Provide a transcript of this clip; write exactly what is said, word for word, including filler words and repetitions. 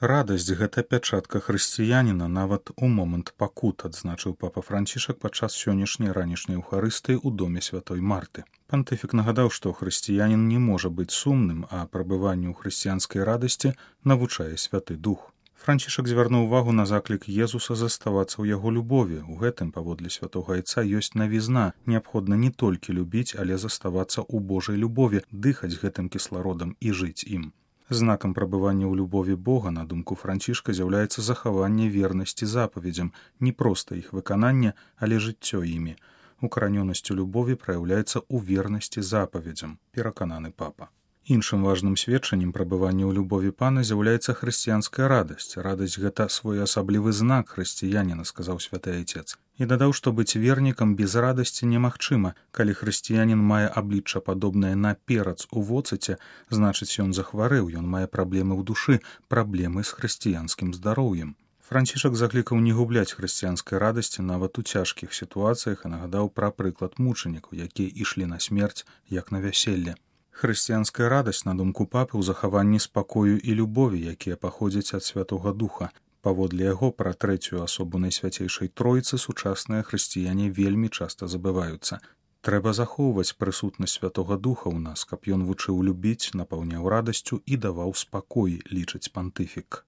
Радасць – гэта пячатка хрысціяніна нават у момант пакут, адзначыў папа Францішак падчас сённяшняй ранішняй эўхарыстыі ў доме святой Марты. Пантыфік нагадаў, што хрысціянін не можа быць сумным, а прабыванню ў хрысціянскай радасці навучае святы дух. Францішак звярнуў увагу на заклік Езуса заставацца ў яго любові. У гэтым, паводле святога айца, ёсць навізна. Неабходна не толькі любіць, але заставацца ў Божай любові, дыхаць гэтым кіслародам і жыць ім. Знакам прабывання ў любові Бога, на думку Францішка, з'яўляецца захаванне вернасці запаведзям, не проста іх выкананне, але жыццё імі. Укаранёнасць у любові праяўляецца ў вернасці запаведзям, перакананы папа. Іншым важным сведчаннем прабывання ў любові Пана з'яўляецца хрысціянская радасць. Радасць – гэта своеасаблівы знак хрысціяніна, сказаў святы айцец. І дадаў, што быць вернікам без радасці немагчыма. Калі хрысціянін мае аблічча падобнае на перац у воцыце, значыць ён захварэў, ён мае праблемы ў душы, праблемы з хрысціянскім здароўем. Францішак заклікаў не губляць хрысціянскай радасці нават у цяжкіх сітуацыях і нагадаў пра прыклад мучанікаў, якія ішлі на смерць, як на вяселле. Хрысціянская радасць, на думку папы, у захаванні спакою і любові, якія паходзяць ад Святога Духа. Паводле яго пра трэцюю асобу Найсвяцейшай Тройцы сучасныя хрысціяне вельмі часта забываюцца. Трэба захоўваць прысутнасць Святога Духа ў нас, каб ён вучыў любіць, напаўняў радасцю і даваў спакой, лічыць пантыфік.